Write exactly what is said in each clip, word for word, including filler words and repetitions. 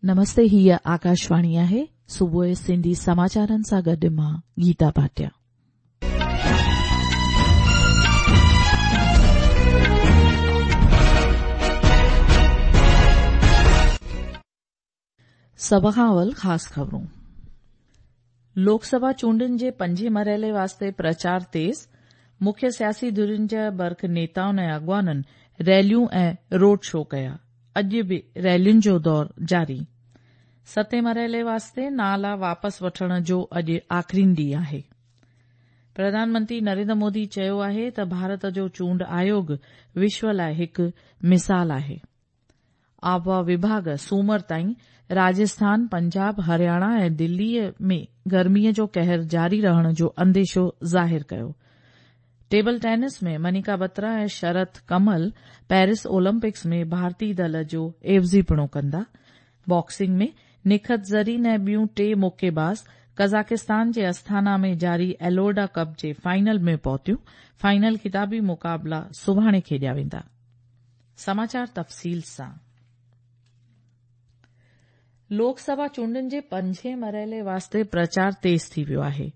नमस्ते, हीअ आकाशवाणी आहे। सुबुह सिंधी समाचारनि सां गॾु मां गीता भाटिया। सभ खां अवल ख़ासि ख़बरूं। लोकसभा चूंडनि जे पंजे मरहले वास्ते प्रचार तेज़। मुख्य सियासी धुरियुनि जा बर्ख नेताउनि ऐं अॻवाननि रैलियूं ऐं रोड शो कया। अॼु बि रैलियुनि जो दौर जारी। सतें मरहले वास्ते नाला वापसि वठण जो अॼु आख़िरी ॾींहुं आहे। प्रधानमंत्री नरेंद्र मोदी चयो आहे त भारत जो चूंड आयोग विश्व लाइ हिकु मिसाल आहे। आबहावा विभाग सूमर ताईं राजस्थान, पंजाब, हरियाणा ऐं दिल्लीअ में गर्मीअ जो कहर जारी रहण जो अंदेशो ज़ाहिर कयो। टेबल टेनिस में मनिका बत्रा ऐं शरत कमल पेरिस ओलंपिक्स में भारतीय दल जो एवज़ीपणो कंदा। बॉक्सिंग में निखत ज़रीन ऐं ॿियूं टे मुक्केबाज़ कज़ाकिस्तान जे अस्थाना में जारी एलोर्डा कप जे फाइनल में पहुतियूं। फाइनल खिताबी मुक़ाबला सुभाणे खेॾिया वेंदा। समाचार तफ़सील सां। लोकसभा चूंडनि जे पंजे मरहले वास्ते प्रचार तेज़ थी वियो आहे।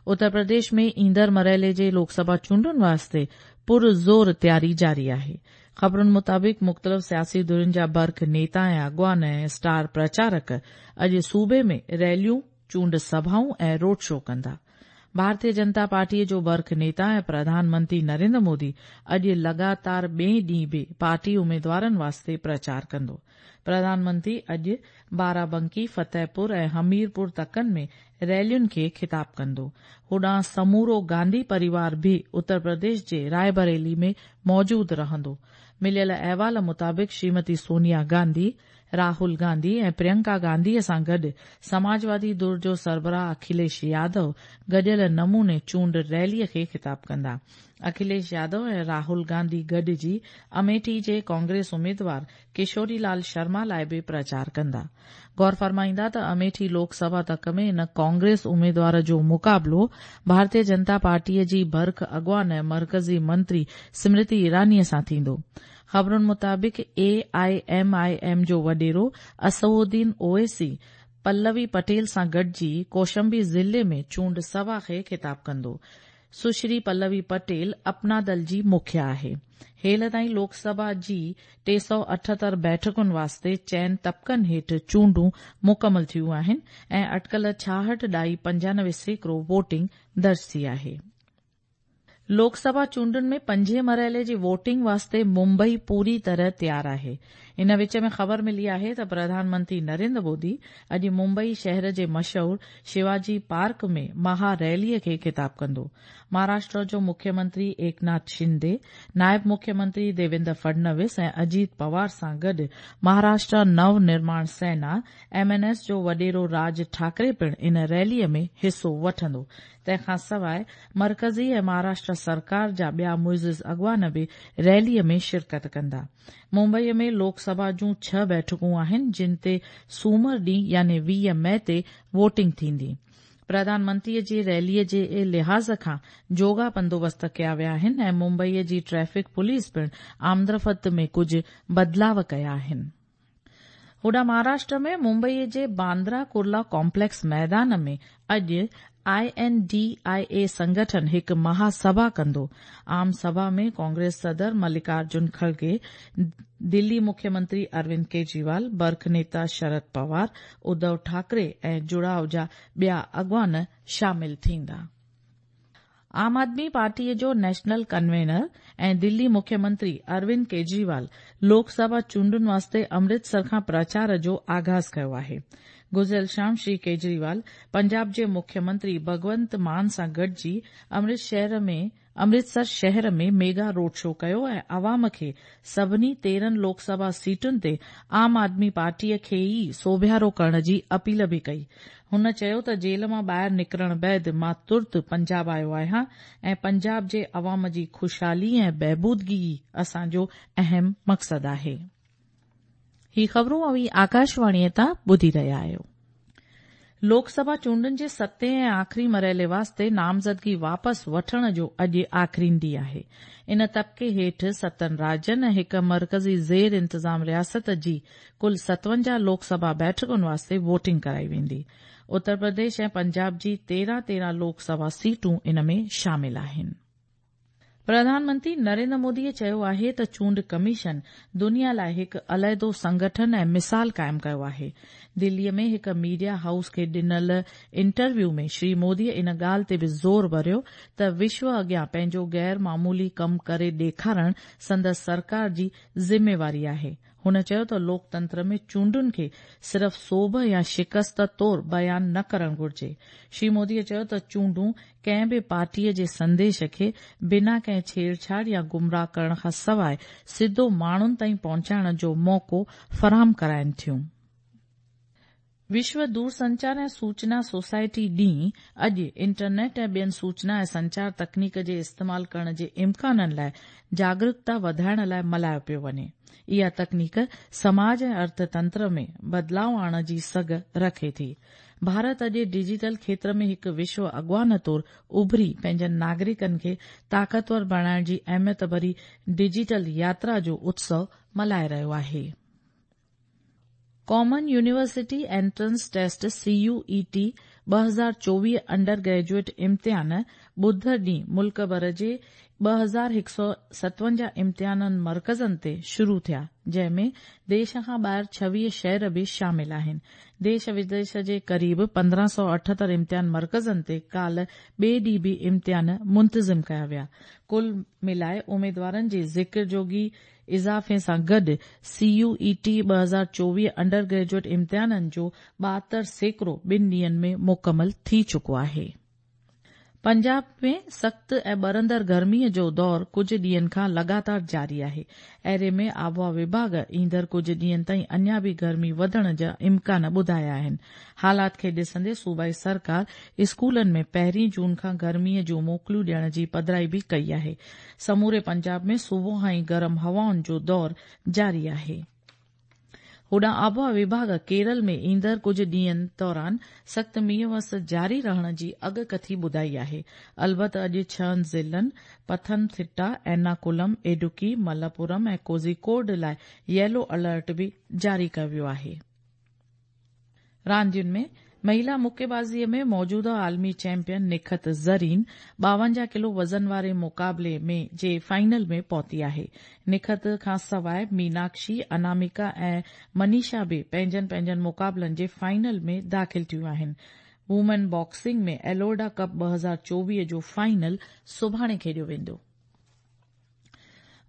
उत्तर प्रदेश में ईंदड़ मरहले जे लोकसभा चूंडुनि वास्ते पुरज़ोर तयारी जारी आहे। ख़बरुनि मुताबिक़ मुख़्तलिफ़ सियासी धुरियुनि जा बर्ख नेता ऐं अॻवान ऐं स्टार प्रचारक अॼु सूबे में रैलियूं, चूंड सभाऊं ऐं रोड शो कंदा। भारतीय जनता पार्टीअ जो बर्ख नेता ऐं प्रधानमंत्री नरेंद्र मोदी अॼु लगातार ॿिए ॾींहुं बि पार्टी उमेदवारनि वास्ते प्रचार कंदो। प्रधानमंत्री अॼु बाराबंकी, फतेहपुर ऐं हमीरपुर तकनि में रैलियुनि खे खिताब कंदो। होॾां समूरो गांधी परिवार बि उत्तर प्रदेश जे रायबरेली में मौजूदु रहंदो। मिलियल अहवाल मुताबिक़ श्रीमती सोनिया गांधी, राहुल गांधी ऐं प्रियंका गांधीअ सां गॾु समाजवादी धुर जो सरबराह अखिलेश यादव गॾियल नमूने चूंड रैलीअ खे खिताब कंदा। अखिलेश यादव ऐं राहुल गांधी गॾिजी अमेठी जे कांग्रेस उमेदवार किशोरी लाल शर्मा लाइ बि प्रचार कंदा। गौर फरमाईंदा त अमेठी लोकसभा तक में इन कांग्रेस उमेदवार जो मुक़ाबलो भारतीय जनता पार्टीअ जी बर्ख अॻवान ऐं मरकज़ी मंत्री स्मृति ईरानीअ सां थींदो। ख़बरुनि मुताबिक़ ए I am I am जो वॾेरो असदुद्दीन ओवैसी पल्लवी पटेल सां गॾिजी कौशंबी ज़िले में चूंड सभा खे खिताब कंदो। सुश्री पल्लवी पटेल अपना दल जी मुखिया आहे। हेल ताईं लोकसभा जी टे सौ अठहतरि बैठकुनि वास्ते चइनि तबकनि हेठि चूंडूं मुकमल थियूं आहिनि ऐं अटकल छाहठि ॾाई पंजानवे सैकड़ो वोटिंग दर्ज थी आहे। लोकसभा चूंडुनि में पंजे मरहले जी वोटिंग वास्ते मुंबई पूरी तरह तयारु आहे। इन विच में ख़बर मिली आहे त प्रधानमंत्री नरेंद्र मोदी अॼु मुंबई शहर जे मशहूर शिवाजी पार्क में महा रैलीअ खे खिताब कंदो। महाराष्ट्र जो मुख्यमंत्री एकनाथ शिंदे, नायब मुख्यमंत्री देवेंद्र फडणवीस ऐं अजीत पवार सां गॾु महाराष्ट्र नव निर्माण सेना एम एन एस जो वॾेरो राज ठाकरे पिणु इन रैलीअ में हिसो वठंदो। तंहिंखां सवाइ मरकज़ी ऐं महाराष्ट्र सरकार जा ॿिया मुइज़िज़ अॻवान बि रैलीअ में शिरकत कंदा। मुंबईअ में लोकसभा जूं छह बैठकूं आहिनि, जिन ते सूमर ॾींहुं यानी वीह मई ते वोटिंग थींदी। प्रधानमंत्रीअ जी रैलीअ जे लिहाज़ खां जोगा बंदोबस्त कया विया आहिनि ऐं मुंबईअ जी ट्रैफिक पुलिस पिणु आमदरफ़्त में कुझु बदिलाव कया आहिनि। होॾां महाराष्ट्र में मुंबईअ जे बांद्रा कुर्ला कॉम्प्लेक्स मैदान में अॼु I N D I ए संगठन हिकु महासभा कंदो। आम सभा में कांग्रेस सदर मल्लिकार्जुन खड़गे, दिल्ली मुख्यमंत्री अरविंद केजरीवाल, बर्ख नेता शरद पवार, उद्धव ठाकरे ऐं जुड़ाव जा ॿिया अॻवान शामिल थींदा। आम आदमी पार्टीअ जो नेशनल कन्वीनर ऐं दिल्ली मुख्यमंत्री अरविंद केजरीवाल लोकसभा चूंडुनि वास्ते अमृतसर खां प्रचार जो आगाज़ कयो आहे। गुज़िरियल शाम श्री केजरीवाल पंजाब जे मुख्यमंत्री भगवंत मान सां गॾिजी अमृतसर शहर में मेगा रोड शो कयो ऐं अवाम खे सभिनी तेरहं लोकसभा सीटुनि ते आम आदमी पार्टीअ खे ई सोभियारो करण जी अपील बि कई। हुन चयो त जेल मां ॿाहिरि निकिरण बाद मां तुर्त पंजाब आयो आहियां ऐं पंजाब जे अवाम जी ख़ुशहाली ऐं बहबूदगी ई असांजो अहम मक़सदु आहे। ही ख़बरूं अव्हीं आकाशवाणीअ तां ॿुधी रहिया आहियो। لوڪ سڀا چونڊن جي ستين ۽ آخري مرحلي واسطي نامزدگي واپس وٺڻ جو اڄ آخرين ڏينهن آهي. ان طبقي هيٺ ستن راجين ۽ هڪ مرڪزي زير انتظام رياست جي ڪل ستونجاهه لوڪ سڀا بيٺڪن واسطي ووٽنگ ڪرائي ويندي. اتر پرديش ۽ پنجاب جي تيرهن تيرهن لوڪ سڀا سيٽون ان ۾ شامل آهن. پرڌان منتري نريندر موديء چيو آهي ته چونڊ ڪميشن دنيا لاء هڪ عليحدو سنگٺن ۽ مثال قائم ڪيو آهي. دليء ۾ هڪ ميڊيا هائوس کي ڏنل انٽرويو ۾ شري موديء ان ڳالهه تي به زور ڀريو ته وشو اڳيان پنهنجو غير معمولي ڪم ڪري ڏيکارڻ سندس سرڪار جي ذميواري آهي. هن چيو ته لوڪتنتر ۾ چونڊن کي صرف سوڀ يا شڪست طور بيان نه ڪرڻ گهرجي. شري موديء چيو ته چونڊون ڪنهن به پارٽيء جي سنديش کي بنا ڪنهن ڇيڙڇاڙ يا گمراهه ڪرڻ کان سواء سڌو ماڻهن تائين پهچائڻ جو موقعو فراهم ڪرائين ٿيون. وشو دورسنچار ۽ سوچنا سوسائٽي ڏينهن اڄ انٽرنيٽ ۽ ٻين سوچنا ۽ سنچار تڪنيڪ جي استعمال ڪرڻ جي امڪانن لاء جاڳرڪتا وڌائڻ لاء ملهايو پيو وڃي. اها تڪنيڪ سماج ۽ ارٿتنتر ۾ بدلاء آڻڻ جي سگهه رکي ٿي. ڀارت اڄ ڊجيٽل کيتر ۾ هڪ وشو اڳواڻ طور اڀري پنهنجن ناگرڪن کي طاقتور بڻائڻ جي اهميت ڀري ڊجيٽل ياترا جو اتسو ملهائي رهيو آهي. Common university entrance test C U E T ٻه هزار چوويهه انڊر گريجوئيٽ امتحان ٻڌر ڏينهن ملڪ ڀر جي ٻه هزار هڪ سؤ ستونجاهه امتحانن مرڪزن تي شروع ٿيا، جنهن ۾ ديش کان ٻاهر ڇويهه شهر به شامل آهن. ديش وديش جي قريب پندرهن سؤ اٺهتر امتحان مرڪزن تي ڪالهه ٻئي ڏينهن به امتحان منتظم ڪيا ويا. ڪل ملائي اميدوارن جي ذڪر جوڳي اضافي سان گڏ سي يو اي ٽي ٻه هزار چوويهه انڊر گريجوئيٽ امتحانن جو ٻاهتر سيڪڙو ٻن ڏينهن ۾ مڪمل ٿي چڪو آهي. پنجاب ۾ سخت ۽ ٻرندڙ گرميء جو دور ڪجهه ڏينهن کان لڳاتار جاري آهي. اهڙي ۾ آبهوا وڀاڳ ايندڙ ڪجهه ڏينهن تائين اڃا به گرمي وڌڻ جا امڪان ٻڌايا آهن. حالات کي ڏسندي صوبائي سرڪار اسڪولن ۾ پهرين جون کان گرميء جون موڪلون ڏيڻ جي پڌرائي به ڪئي آهي. سموري پنجاب ۾ صبح کان ئي گرم هوائن جو دور جاري آهي. هوڏانهن آبهوا وڀاڳ ڪيرل ۾ ايندڙ ڪجهه ڏينهن دوران سخت مينهن وس جاري رهڻ جي اڳڪٿي ٻڌائي آهي. البت اڄ ڇهن ضلعن پٿنٿٽا، ايرناڪلم، اڊوڪي، ملپورم ۽ ڪوزيڪوڊ لاء ييلو الرٽ به جاري ڪيو ويو آهي. راندين ۾ مهيلا مڪيبازيء ۾ موجوده عالمي چيمپيئن نکت زرين ٻاونجاهه ڪلو وزن واري مقابلي ۾ جي فائنل ۾ پهتي آهي. نکت کان سواء ميناڪشي، اناميڪا ۽ منيشا به پنهنجن پنهنجن مقابلن جي فائنل ۾ داخل ٿيون آهن. وومين باڪسنگ ۾ ايلورڊا ڪپ ٻه هزار چوويهه جو فائنل سڀاڻي کيڏيو ويندو.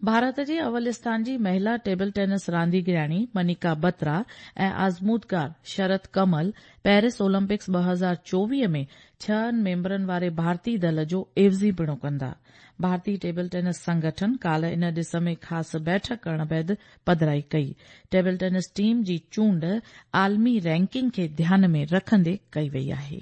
ڀارت جي اول اسٿان جي مهلا ٽيبل ٽينس رانديگرياڻي منيڪا بترا ۽ آزمودگار شرت ڪمل پيرس اولمپڪس ٻه هزار چوويهه ۾ ڇهن ميمبرن واري ڀارتي دل جو عيوضي پڻو ڪندا. ڀارتي ٽيبل ٽينس سنگٺن ڪالهه ان ڏس ۾ خاص بيٺڪ ڪرڻ بعد پڌرائي ڪئي. ٽيبل ٽينس ٽيم جي چونڊ عالمي رينڪنگ کي ڌيان ۾ رکندي ڪئي وئي آهي.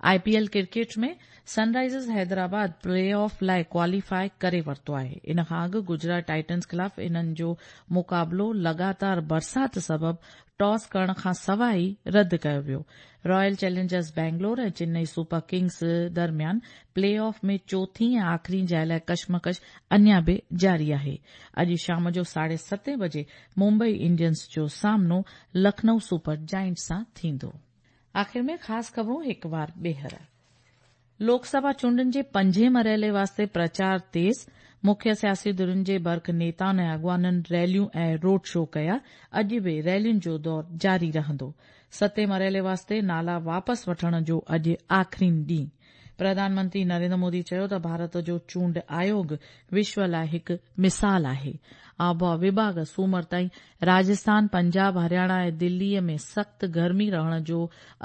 I P L cricket ۾ Sunrisers Hyderabad play off لاء ڪواليفائي ڪري ورتو آهي. ان کان اڳ گجرات ٽائٽنز خلاف انهن جو مقابلو لڳاتار برسات سبب ٽاس ڪرڻ کان سواء ئي رد ڪيو ويو. Royal Challengers Bangalore ۽ Chennai super Kings درميان پلي آف ۾ چوٿين ۽ آخرين جاءِ لاء ڪشمڪش اڃا به جاري آهي. اڄ شام جو ساڍي ستين بجي ممبئي انڊينز جو سامنو لکنئو سپر جائنٽس سان ٿيندو. آخر ۾ خاص خبرون هڪ وار ٻيهر. لوڪ سڀا چونڊن جي پنجين مرحلي واسطي پرچار تيز، مکيه سياسي ڌرين جي برک نيتائن ۽ اڳواڻن ريليون ۽ روڊ شو ڪيا، اڄ به ريلين جو دور جاري رهندو. ستين مرحلي واسطي نالا واپس وٺڻ جو اڄ آخرين ڏينهن. پرڌان منتري نريندر مودي چيو ته ڀارت جو چونڊ آيوڳ وشو لاء هڪ مثال آهي. آبهوا وڀاڳ سومر تائين راجسٿان، پنجاب، هرياڻا ۽ دليء ۾ سخت گرمي رهڻ جو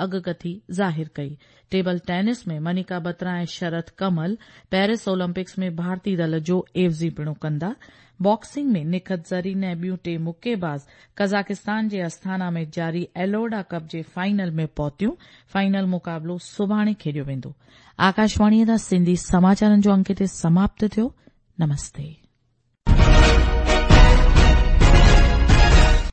اڳڪٿي ظاهر ڪئي. ٽيبل ٽينس ۾ منيڪا بترا ۽ شرت ڪمل پيرس اولمپڪس ۾ ڀارتي دل جو عيوضي پڻو ڪندا. باڪسنگ ۾ نکت زرين ۽ ٻيون ٽي مڪيباز قزاقستان جي آستانا ۾ جاري ايلورڊا ڪپ جي فائنل ۾ پهتيون. فائنل مقابلو سڀاڻي کيڏيو ويندو. آڪاشواڻيء تان سنڌي سماچارن جو انڪ هتي سماپت ٿيو. نمستي.